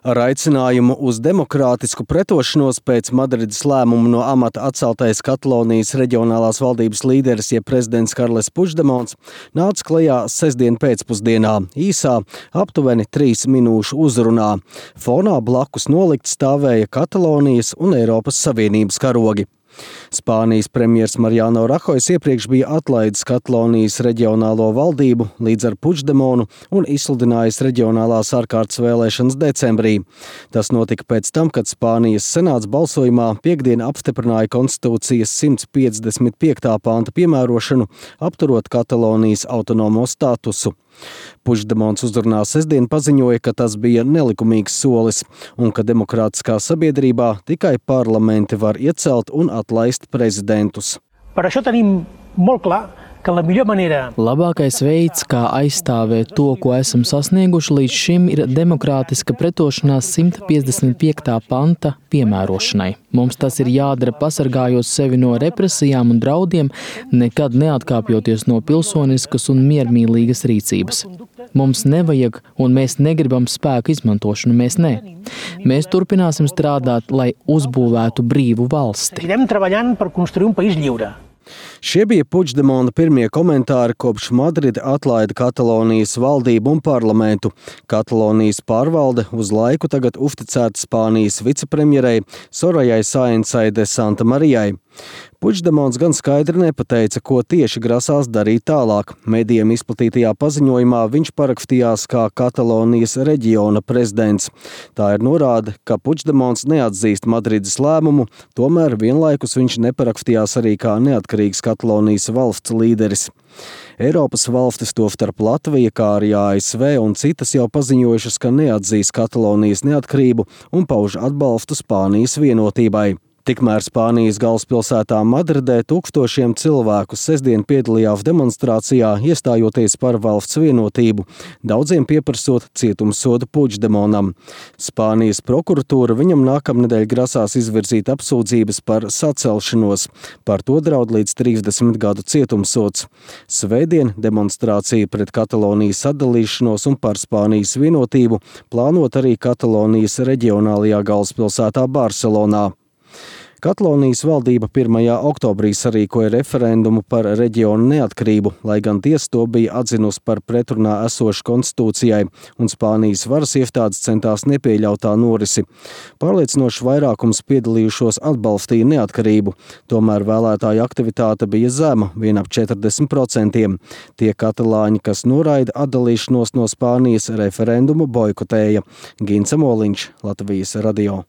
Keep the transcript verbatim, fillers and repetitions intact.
Ar aicinājumu uz demokrātisku pretošanos pēc Madrides lēmumu no amata atceltais Katalonijas reģionālās valdības līderis, jeb prezidents Karles Puigdemons, nāca klajā sestdien pēcpusdienā, īsā, aptuveni trīs minūšu uzrunā. Fonā blakus nolikt stāvēja Katalonijas un Eiropas Savienības karogi. Spānijas premjers Mariano Rahojs iepriekš bija atlaidis Katalonijas reģionālo valdību līdz ar Puigdemonu un izsludinājis reģionālās ārkārtas vēlēšanas decembrī. Tas notika pēc tam, kad Spānijas senāts balsojumā piekdien apstiprināja konstitūcijas simt piecdesmit piektā panta piemērošanu, apturot Katalonijas autonomo statusu. Puigdemons uzrunā sestdien paziņoja, ka tas bija nelikumīgs solis un ka demokrātiskā sabiedrībā tikai parlamenti var iecelt un atlaist prezidentus. Per això tenim molt clar ka la millor manera. Labākais veids, kā aizstāvēt to, ko esam sasnieguši līdz šim, ir demokrātiska pretošanās simt piecdesmit piektā panta piemērošanai. Mums tas ir jādara pasargājot sevi no represijām un draudiem, nekad neatkāpjoties no pilsoniskas un miermīlīgas rīcības. Mums nevajag un mēs negribam spēku izmantošanu, mēs ne. Mēs turpināsim strādāt, lai uzbūvētu brīvu valsti. Seguirem treballant per construir un país lliure. Šie bija Puigdemona pirmie komentāri, kopš Madride atlaida Katalonijas valdību un parlamentu. Katalonijas pārvalde uz laiku tagad uzticēta Spānijas vicepremjerei Sorayai Saensai de Santamarijai. Puigdemons gan skaidri nepateica, ko tieši grasās darīt tālāk. Medijiem izplatītajā paziņojumā viņš parakstījās kā Katalonijas reģiona prezidents. Tā ir norāde, ka Puigdemons neatzīst Madrides lēmumu, tomēr vienlaikus viņš neparakstījās arī kā neatkarīgs Katalonijas valsts līderis. Eiropas valstis, tostarp Latvija, kā arī A S V un citas jau paziņojušas, ka neatzīs Katalonijas neatkarību un pauž atbalstu Spānijas vienotībai. Tikmēr Spānijas galvaspilsētā Madridē tūkstošiem cilvēku sestdien piedalījās demonstrācijā, iestājoties par valsts vienotību, daudziem pieprasot cietumsodu Puigdemonam. Spānijas prokuratūra viņam nākamnedēļ grasās izvirzīt apsūdzības par sacelšanos. Par to draud līdz trīsdesmit gadu cietumsods. Svētdien demonstrācija pret Katalonijas atdalīšanos un par Spānijas vienotību plānot arī Katalonijas reģionālajā galvaspilsētā Barcelonā. Katalonijas valdība pirmajā oktobrī sarīkoja referendumu par reģionu neatkarību, lai gan tiesa to bija atzinusi par pretrunā esošu konstitūcijai, un Spānijas varas iestādes centās nepieļaut tā norisi. Pārliecinošs vairākums piedalījušos atbalstīja neatkarību, tomēr vēlētāju aktivitāte bija zema, vien ap četrdesmit procentiem. Tie katalāņi, kas noraida atdalīšanos no Spānijas, referendumu boikotēja. Gints Moliņš, Latvijas radio.